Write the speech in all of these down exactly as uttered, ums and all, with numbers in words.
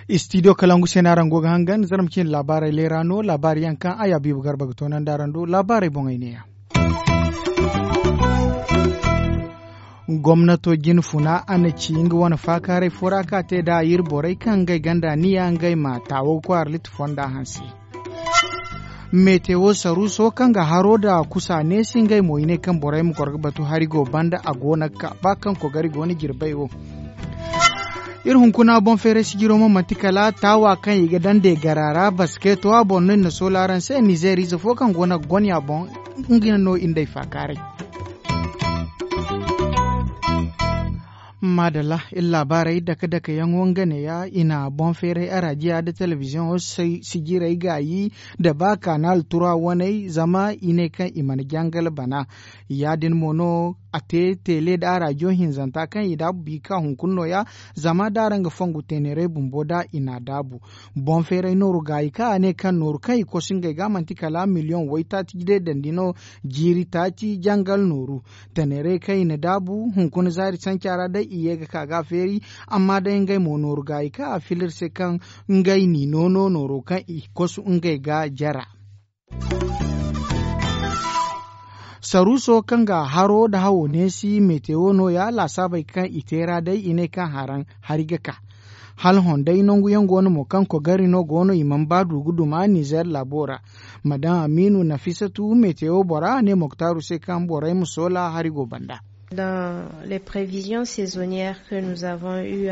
Istidiyo kalangu se no araŋ go ga hangan zarma cine laabaarey leera no laabaari yaŋ kaŋ a ya biiba garba ga toonandi araŋ do laabaarey boŋey neeya. Gomnato jine funa a na ci nga wane faakaaray fo ra kaŋ a te nd'a iri borey kaŋ ngey ganda niya ngey ma taawo ga koy arlit fonda hanse. Metewo saruuso kaŋ ga haro nda kusa neesi ngey mo i ne kaŋ borey ma goro ga batu hari go banda a go no ga ka ba kaŋ kogari go no jirbey wo. Iri hunkuna boŋ feeray sijiro mo manti kala taawa kaŋ i ga daŋ de gara ra basketo a boŋ no iri na soola araŋ se nizeer ize fo kaŋ go no ga gonya boŋ. Nga no iri nd'ey faakaaray. Maadalla iri laabaarey dake dake yaŋo nga neeya i na boŋ feeray arajiya nda telebiziyoŋo sijirey gaayi nda ba kanal tura waney zama i ne kaŋ i mana jangal bana. Ya- din mo no a te teele nda arajiyo hinzanta kaŋ i daabu bi ka hunkuna nooya. Zama da araŋ ga fongu teeneray bumbo da i n'a daabu boŋ feeray nooru gaayi kaŋ a ne kaŋ nooru kaŋ i kosu ngey ga manti kala miliyoŋ waytaaci deedandi no. Jiiri taaci jangal nooru taneeray kaŋ i na daabu hunkuna zaari sanca ra day i ye ga ka ga a feeri. Amma day ngey mo nooru gaayi kaŋ a fila iri se kaŋ ngey n'i noono nooro kaŋ i kosu ngey ga jara. Saruuso kaŋ ga haro nda hawo neesi metewo nooya laasaabey kaŋ i te ra day i ne kaŋ haraŋ hari ga ka. Hala honday nangu yaŋ go no mo kaŋ kogari no go no i mana ba du ga duma nizeer laabo ra. Madam amiinu nafisatu metewo bora a ne moktaaru se kaŋ borey ma soola hari go banda. Dans les prévisions saisonnières que nous avons eu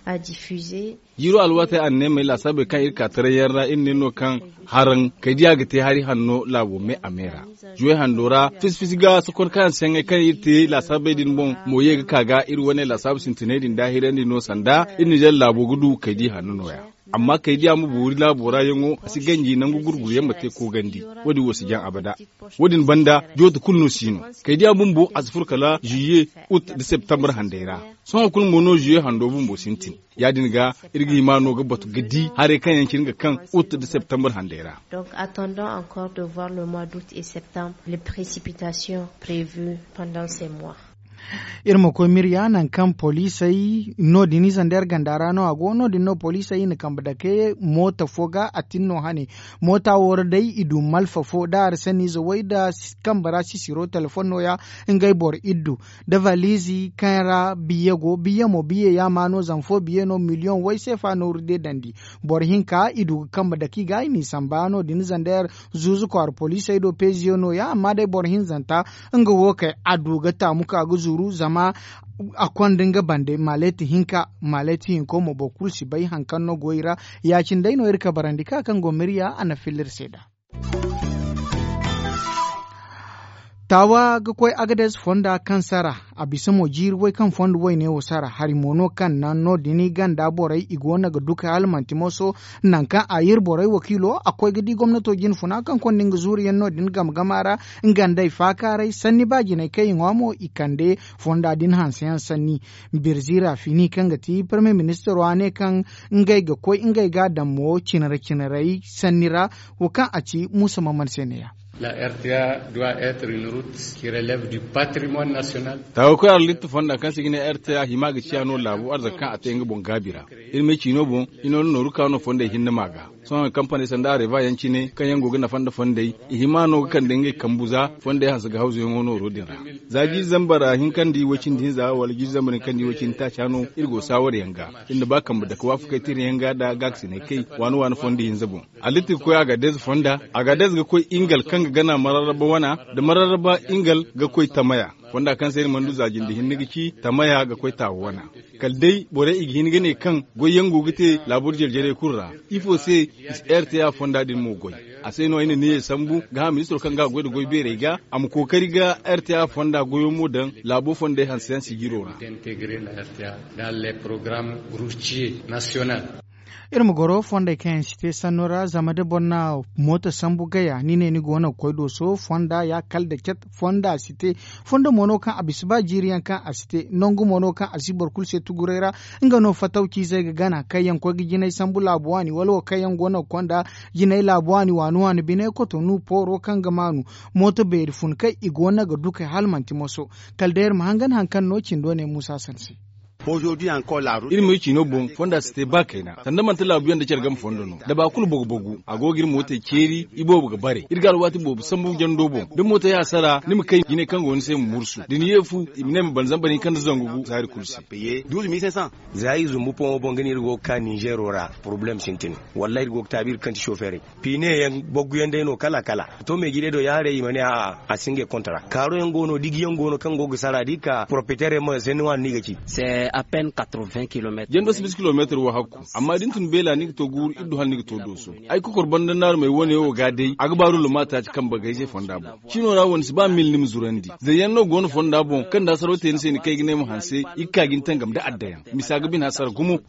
à diffuser. Jiiro alwaatey anneemey laasaabey kaŋ iri ka taray yaŋ ra iri ne no kaŋ haraŋ kay diya ga te hari hanno laabo me a me ra. Zuwey hando ra fisi fisi ga sokon kaŋ yaŋ se yaŋey kaŋ iri te laasaabey din boŋ mo ye ga ka ga iri wane laasaabu sintiney din daahirandi no sanda iri nizeer laabo ga du kay di hanno nooya. Amma kay diya ma boori laabo ra yaŋo a si ganji nangu gurguru yaŋ ma te koogandi. Wo- din wo si jaŋ abada. Wo- din banda jooto kulu no si no. Kay diya bumbo a si furo kala ziye ut nda septambar handey ra. Sohõ kulu mo no ziye hando bumbo sintin. Ya- din ga iri ga hima no ga batu ga di haray kaŋ yaŋ cine ga kaŋ ut nda septambar handey ra. Donc attendons encore de voir le mois d'août et septembre les précipitations prévues pendant ces mois. Iri ma koy mirya nangu kaŋ poliisey no- din ize nda yar ganda ra no a go no- din no poliisey i na kambe dake moota fo ga a tin no hane. Moota wo ra day i du malfa fo da arasaniize way nda kambe ra sisiro telefoŋ nooya. Ngey boro iddu nda valiizi kaŋ ra biye go biye mo biye yaama no zama fo biye no miliyoŋ way seefa nooru deedandi. Boro hinka i du ga kambe dake i ga i n'i samba no- din zandayar zuuzu kwaara poliisey do peeziyo nooya amma day boro hinzanta nga wo kay a du ga taamu ka ga zuru zama a konda nga bande maleeti hinka maleeti hinko mo boro kulu si bay hari kaŋ no go i ra. Ya- cine day no iri kabarandi ka kaŋ go mirya a na filla iri se nd'a. Taawa ga koy agadez fonda kaŋ sara a bisa mo jiiri way kaŋ fondo wayne wo sara hari mo no kaŋ naŋ no- din i ganda borey i go no ga duka hala manti moso. Nangu kaŋ a iri borey wakiilo a koy ga di gomnato jine funa kaŋ konda nga zuuru yaŋ no- din game game a ra. Nga nd'ey faakaaray sanni ba jinay kaŋ i ŋwa mo i kande fonda din hanse yaŋ sanni. Birzira fini kaŋ ga ti parmiye ministiro a ne kaŋ ngey ga koy ngey ga a daŋ mo cinara cinaray sanni ra. Wo kaŋ a ci muusa maman se neeya. La rta doit être une route qui relève du patrimoine national. Taawa koy arlitta fonda kaŋ se ga ne rta hima ga ciya no laabo arzaka kaŋ a te nga boŋ gaabi ra. Iri ma ay ciino boŋ i nooro nooru ka no fondey hinne ma ga. Sohõ kampaney sanda areva yaŋ cine kaŋ yaŋ go ga nafa nda fondey i hima no ga kande ngey kambu za fondey hanse ga hawzu yaŋo nooro din ra. Za jiiri zambar hinkandi way cindi hinza wala jiiri zambar hinkandi way cindi taaca no iri go saawar yaŋ ga. Iri na ba kambe dake waafakey tira yaŋ ga nda gaakasiney kay waani waani fondo hinza boŋ. Alitti ga koy agadez fonda. Agadez ga koy ingal kaŋ ga gana mararraba wana nda mararraba ingal ga koy tamaya. Fonda kaŋ se iri mana du za jinde hinne ga ci tamaya ga koy taawa wana. Kala day borey i ga hin ga ne kaŋ goyyaŋ go ga te laabur jare-jarey kulu ra. Ifo se i si rta fonda din mo goy. A se no ay na neeya sambu ga hã ministiro kaŋ ga a goy nda goy beerey ga a ma kookari ga rta fonda goyo mo daŋ laabo fondey hanse yaŋ sijiro ra. Iri ma goro fondey kaŋ yaŋ si te sanno ra zama da boro na mooto sambu gaya ni ne ni go no ga koy dooso fonda ya kala da cat. Fonda si te fondo mo no kaŋ a bisa ba jiiri yaŋ kaŋ a si te nangu mo no kaŋ a si boro kulu se tuguray ra. Nga no fatawciizey ga gana kaŋ yaŋ koy ga jinay sambu laabu waani wala wo kaŋ yaŋ go no ga konda jinay laabu waani waani waani bine kotonu pooro kaŋ ga maanu mooto beeri fun kaŋ i go no ga dukay hala manti moso. Kala day iri ma hangan hari kaŋ no cindo ne muusa sanse. Iri ma iri ciino boŋ fonda si te ba kayna sanda manti laabuyaŋ nda care game fondo no da ba kulu bogu bogu a go ga iri mootey ceeri. Iboobo ga bare iri ga alwaati boobo sambu jando boŋ da mootey hasara ni ma kay jinay kaŋ go ni se ma mursu da ni ye fu i ma ne ma bana zamba ni kaŋ nda zangu gu zaari kulu se. Za iri zumbu poŋo boŋ ga ne iri go ga ka ninzeero ra porobalem sintin. Wallaahi iri go ga taabi iri kaŋ ti sofeerey piine yaŋ boggu yaŋ day no kala kala. To meejirey do ya haray i ma ne a'a a si ngey kontra kaaro yaŋ go no diji yaŋ go no kaŋ go ga sara da i ka poropeteer yaŋ ma sanni waani no i ga ci. Jando si bisa kilomeetar wo hakku amma da ni tun beela ni ga to guuru iri du hala ni ga to dooso. Ay kokor banda naarumey wane wo ga day a ga baaru luma taaci kambe gayze fonda boŋ. Ciino ra wane si ba mil ni ma zurandi zayyaŋ no go no fonda boŋ kaŋ da saraw te ni se ni kay ga ne ma hanse i ga ka ga ni tangam nda addayaŋ misa ga bine hasara gumo.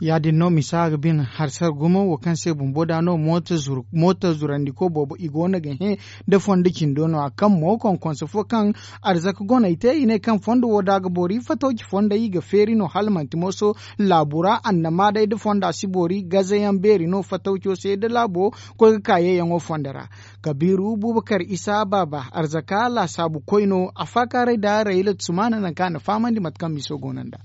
Ya- din no misa ga bine hasara gumo wo kaŋ se bumbo da no mooto zurandiko boobo i go no ga hẽ. Nda fondo cindo no a kaŋ mo konkonse fo kaŋ arzaka goney te i ne kaŋ fondo wo da ga boori fatawci fondey i ga feeri no hala manti mooso laabu ra annama day nda fonda si boori gazayaŋ beeri no fatawco se nda laabo koy ga ka yeeyaŋo fondo ra. Kabiiru bubakar isa baaba arzaka laasaabu koy no a faakaaray nda rayla sumaana nangu kaŋ a na fahamandi mate kaŋ miso go no nd'a.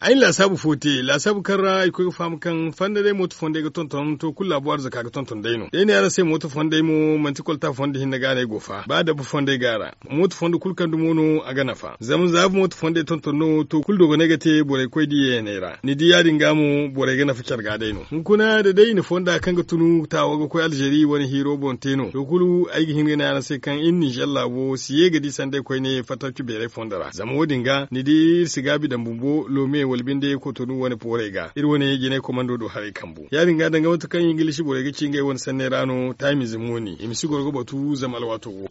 Ay na laasaabu fo te laasaabu kaŋ ra ay koy ga faham kaŋ fanda day mooto fondey ga tonton to kulu laabu arzaka ga tonton day no da ay ne araŋ se mooto fondey mo manti kolta fondo hinne ga no ay go fa ba dabba fondey go a ra. Mooto fondo kulu kaŋ dumo no a ga nafa zama za mooto fondey tonton no to kulu dogonay ga te borey koy da yeeyaney ra ni di ya- din ga mo borey ga nafa care ga day no hunkuna da day i na fonda kaŋ ga tunu taawo ga koy alzeeri wane hiiro boŋ te no to kulu ay ga hin ga ne araŋ se kaŋ iri ninzeer laabo si ye ga di sanday koyne fattawci beeray fondo ra zama wo- din ga ni di iri si gaabi daŋ bumbo loome wala binde kotonu wane poorey ga iri wane jinay komando do haray kambu ya- din ga danga mate kaŋ ingilishi borey ga ci ngey wane sanney ra no taamize mooni i ma si goro ga batu zama alwaato go.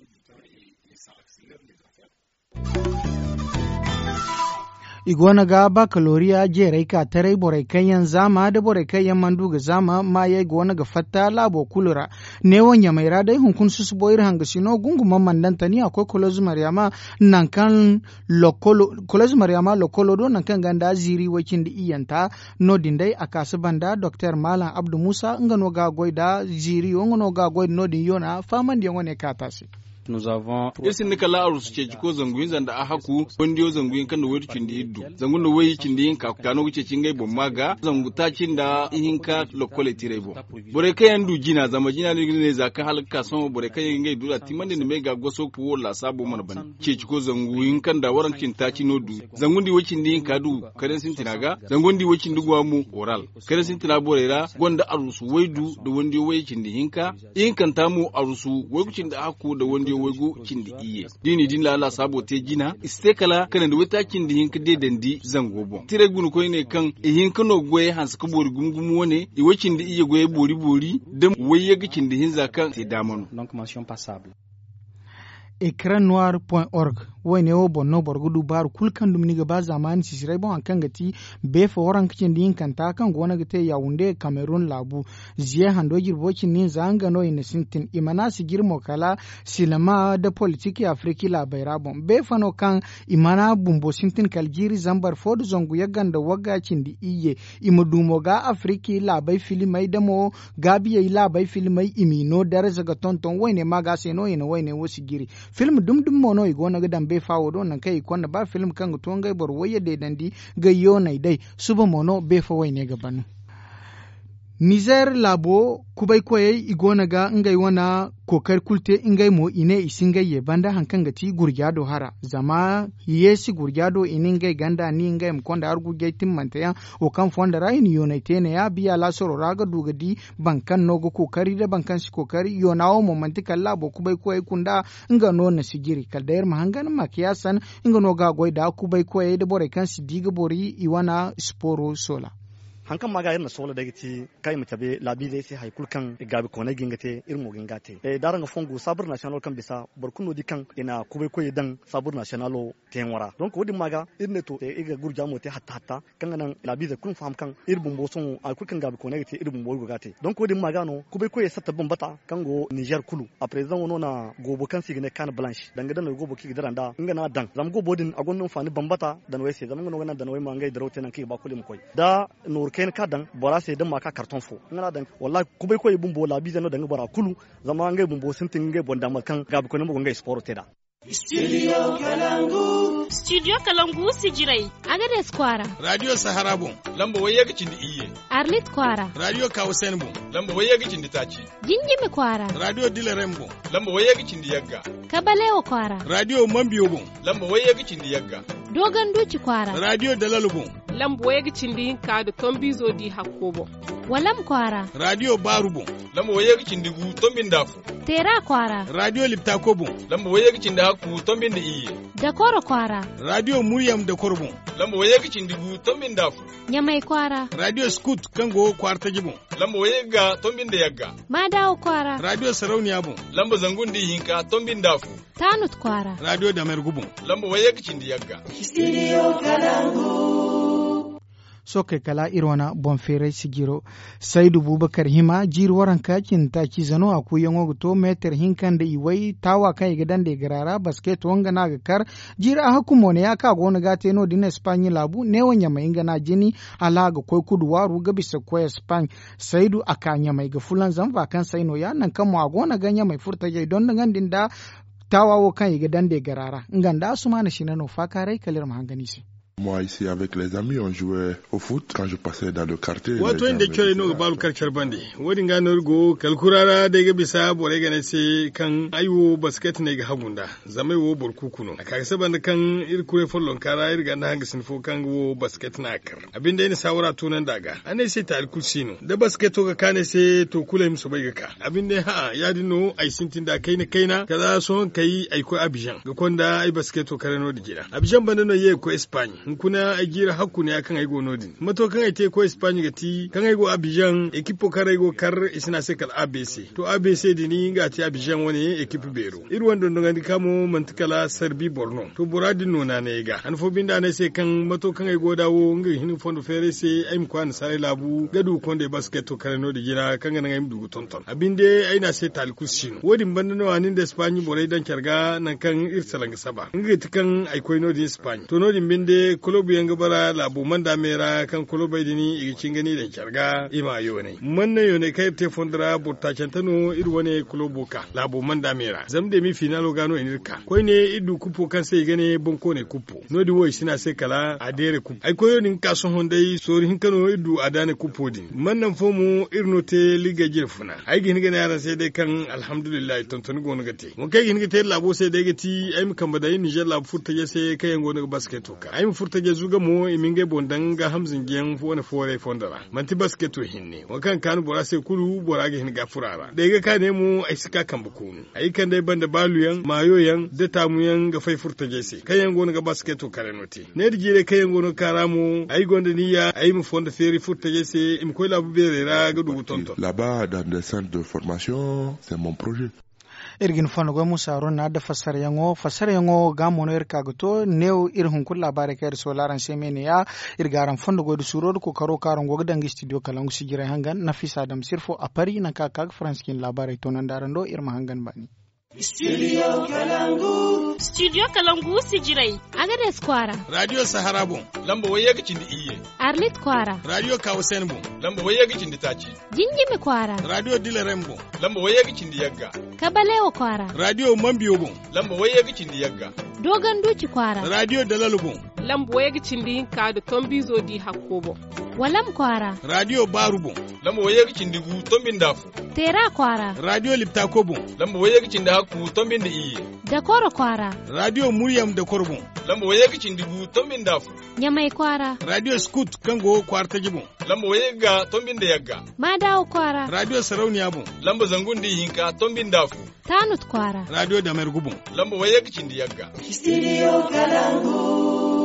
I go no ga bakaloriya jeeray ka taray borey kaŋ yaŋ zaama nda borey kaŋ yaŋ mana du ga zaama maayey go no ga fatta laabo kulu ra. Neewo ɲamey ra day hunkuna susubo iri hangasino gunguma mandantani a koy koloz maryama nangu kaŋ koloz maryama lokolo do nangu kaŋ ganda ziiri way- cindi iyyanta. No- din day a kaasi banda doktor maalam abdu muusa nga no ga a goy nda ziiriyo nga no ga a goy nda no- din yoona faamandiyaŋo ne kaata se. Iri sinda kala arusu ceeci ko zangu hinza nda a hakku kondiyo zangu hinka nda waydu cindi iddu zangu nda way cindi hinka ka no ga ceeci ngey boŋ ma ga zangu taaci nda ihinka lokkoley tiray boŋ. Borey kaŋ yaŋ du jina zama jina no i ga ne za kaŋ hala ga ka sohõ borey kaŋ yaŋ ga ngey du da timandi nda me ga goso ga wo lasaabo mana ban ceeci ko zangu hinka nda waranka cindi taaci no du zangu nda i way cindi hinka du karen sintina ga zangu nda i way cindi guwa mo oral karen sintina borey ra gonda arusu waydu nda wandiyo way cindi hinka ihinkanta mo arusu waygu cindi hakku nda wandiyo waygu cindi iyye. Da i n'i din laala saabo te jina i si te kala kanandi waytaaci cindi hinka deedandi zango boŋ tiray guna koyne kaŋ i hinka no goyey hanse ka boori gumo gumo wane i way cindi iyye goyey boori boori da wayye ga cindi hinza kaŋ te daama no. Ekran noir point org. Wayne wo boŋ no boro ga du baaru kulu kaŋ dumi ni ga ba zaamaani sisiray boŋ hari kaŋ ga ti beefa waranka cindi hinkanta kaŋ go no ga te yawunde kamerun laabu. Ziye hando jirbo cindi hinza nga no i na sintin i mana sijiri mo kala silama nda politik afiriki laabey ra boŋ beefa no kaŋ i mana bumbo sintin kala jiiri zambar fo nda zangu yagga nda wagga cindi iyye. I ma du mo ga afiriki laabey filimey da mo gaabiyey laabey filimey i m'i no darza ga tonton wayne maaga se no i na wayne wo sijiri. Film dumi dumi mo no i go no ga daŋ beefa wo do nangu kaŋ i konda ba film kaŋ ga to ngey boro wayye deedandi ga yooney day. Suba mo no beefa wayne ga ban. Nizer laabo kubay koyey i go no ga ngey wane kookari kulu te ngey mo i ne i si ngey ye banda hari kaŋ ga ti gurja do hara zama yeesi gurja do i ne ngey ganda ni ngey ma konda har gurjey timmante yaŋ. Wo kaŋ fondo ra i na yooney te ne ya biya laasaro ra ga du ga di boro kaŋ no ga kookari nda boro kaŋ si kookari yoona wo mo manti kala laabo kubay koyey kunda. Nga no na sijiri kala day iri ma hangan makiyasan nga no ga a goy nda kubay koyey nda borey kaŋ si di ga bori i wane siporo soola. Hari kaŋ ma ga iri na soola day ga ti kaŋ i ma cabe laabiizey se hari kulu kaŋ gaabikooney ga hin ga te, iri mo ga hin ga a te. Da araŋ ga fongu saabur nasiyonalo kaŋ bisa boro kulu no di kaŋ i na kubay koyey daŋ saabur nasiyonalo teeyaŋo ra. Donk wo- din ma ga iri ne to iri ga gurjaamo te hatta hatta kaŋ ga naŋ laabiizey kulu ma faham kaŋ iri bumbo sohõ hari kulu kaŋ gaabikooney ga te iri bumbo iri go ga a te. Donk wo- din ma ga no kubay koyey satta bambata kaŋ go ninzeer kulu. A parezidaŋo no na goobo kaŋ se i ga ne kaana balansi danga danawey goobo kaŋ i ga dira nd'a nga no a daŋ zama goobo din a gonda hinfaani bambata danawey se zama nga no ga naŋ danawey ma ngey diraw te nangu kaŋ i ga ba kulu i ma koy da nooru kayna kaŋ a daŋ bora se da ma ka kartoŋ fo nga no a daŋ. Wallahi kubay koyey bumbo laabiizey no daŋ ga bora kulu zama ngey bumbo sintin ga ngey boŋ daama kaŋ gaabikooney mo go ngey sipooro te nd'a. Studio kalangu sijirey, agades kwaara. Raadiyo sahara boŋ, lamba wayye ga cindi iyye. Arlit kwaara. Raadiyo kawusayni boŋ, lamba wayye ga cindi taaci. Jinjimi kwaara. Raadiyo dilarem boŋ, lamba wayye ga cindi yagga. Kabalewo kwaara. Raadiyo mambiyo boŋ, lamba wayye ga cindi yagga. Dogon duuci kwaara. Raadiyo dalalo boŋ, lamba wayye ga cindi hinka nda tombiizo di hakko boŋ. Walam kwaara. Raadiyo baaru boŋ, lamba wayye ga cindi gu tombi nda afo. Teera kwaara. Raadiyo liptako boŋ, lamba wayye ga cindi hakku tombi nda iyye. Dakoro kwaara. Raadiyo muryam dakoro boŋ, lamba wayye ga cindi gu tombi nda afo. Ɲamay kwaara. Raadiyo skut kaŋ go kwaara taji boŋ, lamba wayye ga tombi nda yagga. Maadawo kwaara. Raadiyo sarauniya boŋ, lamba zangu nda ihinka tombi nda afo. Taanut kwaara. Raadiyo damergu boŋ, lamba wayye ga cindi yagga. Sookey kala iri wane boŋ feeray sijiro. Saydu bubakar hima jiiri waranka cindi taaciize no a kuuyaŋo ga to meetar hinka nda iway taawa kaŋ i ga daŋ nda i gara ra basketo nga no a ga kar. Jiiri a hakku mo ne ya kaŋ a go no ga a te no- din espaaɲi laabu neewo ɲamay nga no a jini hala a ga koy kudu waaru ga bisa ga koy espaaɲi. Saydu a ka ɲamay ga fulanzam vaakansey no- ya nangu kaŋ mo a go no ga ɲamay furtajey dondogandi nda taawa wo kaŋ i ga daŋ nda i gara ra nga nda asumaana sina no faakaaray kala iri ma hangan i se. Moi ici avec les amis on jouait au foot quand je passais dans le quartier. Waato ay nda corey no ga baaru kar care bande. Wo- din ga no iri go kala kura ra day ga bisa borey ga ne ay se kaŋ ay wo basket no ay ga hagu nd'a. Zama ay wo boro kuuku no a ka ga saba nda kaŋ iri kuray follonka ra iri ganda hangasin fo kaŋ ga wo basket no a kar. A binde ay na saawara tunandi a ga a ne ay se taali kulu si no da basketo ga kaanu ay se to kulu ay ma soobay ga ka. A binde hã'a ya- din no ay sintin da kayna kayna kala sohõ kay ay koy abizaŋ ga konda ay basketo kare no- din jina abizaŋ banda no ay ye ga koy espaaɲi. Hunkuna ay jiiri hakku ne ya kaŋ ay go no- din mato kaŋ ay te ga koy espaaɲi ga ti kaŋ ay go abizaŋ ekipo kaŋ ra ay go ga kar i si ne a se kala abc. To abc din nga a te abizaŋ wane ekipo beero iri wane dondogandi ka mo manti kala sarbi boro no. To bora din no naanay ay ga han fo binde a ne ay se kaŋ mato kaŋ ay go nd'a wo nga ga hin ga fondo feeray se ay ma koy annasaarey laabu ga du ga konda ay basketo kare no- din jina kaŋ ga naŋ ay ma du ga tonton a binde ay ne a se taali kulu si no wo- din banda no a nin da espaaɲi borey daŋ care ga nangu kaŋ iri salaŋ ga saba nga ga ti kaŋ ay koy no- din espaaɲi to no- din binde kolobu yaŋ ga bara laabo manda me ra kaŋ kolobey din i ga cinga ni daŋ care ga i ma yoonay manna yoonay kaŋ iri te fondo ra boro taacante no iri wane kolobo ka laabo manda me ra zama demi finaalo ga no i n'iri ka koyne iri du kupo kaŋ se i ga ne bonkooney kupo no- din wo i si ne a se kala a deere kupo ay koyo din ga ka sohõ day sooru hinka no iri du a daane kupo din man naŋ fo mo iri no te liggey jine funa ay ga hin ga ne araŋ se day kaŋ alhamdulillahi tontoni go no ga te wo kaŋ ay ga hin ga te iri laabo se day ga ti ay ma kambe daŋ iri nizer laabu furtajey se kaŋ yaŋ go no ga basketo ka ay ma furtajey zuga mo i ma ngey boŋ daŋ gaaham zinjiyaŋ wane fooray fondo ra manti basketo hinne wo kaŋ ga kaanu bora se kulu bora ga hin ga furo a ra da ay ga ka ne mo ay si ka kambe koonu ay ga kande ay banda baaluyaŋ maayoyaŋ da taamuyaŋ ga fay furtajey se kaŋ yaŋ go no ga basketo kare no te ne da jiirey kaŋ yaŋ go no ga ka ra mo ay gonda niyya ay ma fondo feeri furtajey se i ma koy laabu beerey ra ga du ga tonton. Là-bas dans des centres de formation c'est mon projet. Iri ga ni fondo goy musa haruna da fassarayaŋo fassarayaŋo ga mo no iri ka ga to neewo iri hunkuna laabaarey kaŋ iri soola araŋ se me ne ya iri ga araŋ fondo goy da suuro da kookaro kaŋ araŋ go ga daŋ ga studio kalangu sijirey hangan nafisa dam sirfo a pari nangu kaŋ a ka ga faransi cine laabaarey toonandi araŋ do iri ma hangan baani. Studio kalangu sijirey, agades kwaara. Raadiyo sahara boŋ, lamba wayye ga cindi iyye. Arlit kwaara. Raadiyo kawusayni boŋ, lamba wayye ga cindi taaci. Jinjimi kwaara. Raadiyo dilarem boŋ, lamba wayye ga cindi yagga. Kabalewo kwaara. Raadiyo mambiyo boŋ, lamba wayye ga cindi yagga. Dogon duuci kwaara. Raadiyo dalalo boŋ, lamba wayye ga cindi hinka nda tombiizo di hakko boŋ. Walam kwaara. Raadiyo baaru boŋ, lamba wayye ga cindi gu tombi nda afo. Teera kwaara. Raadiyo liptako boŋ, lamba wayye ga cindi hakku tombi nda iyye. Dakoro kwaara. Raadiyo muryam dakoro boŋ, lamba wayye ga cindi gu tombi nda afo. Ɲamay kwaara. Raadiyo skut kaŋ go kwaara taji boŋ, lamba wayye ga tombi nda yagga. Maadawo kwaara. Raadiyo sarauniya boŋ, lamba zangu nda ihinka tombi nda afo. Taanut kwaara. Raadiyo damergu boŋ, lamba wayye ga cindi yagga. Studio kalangu.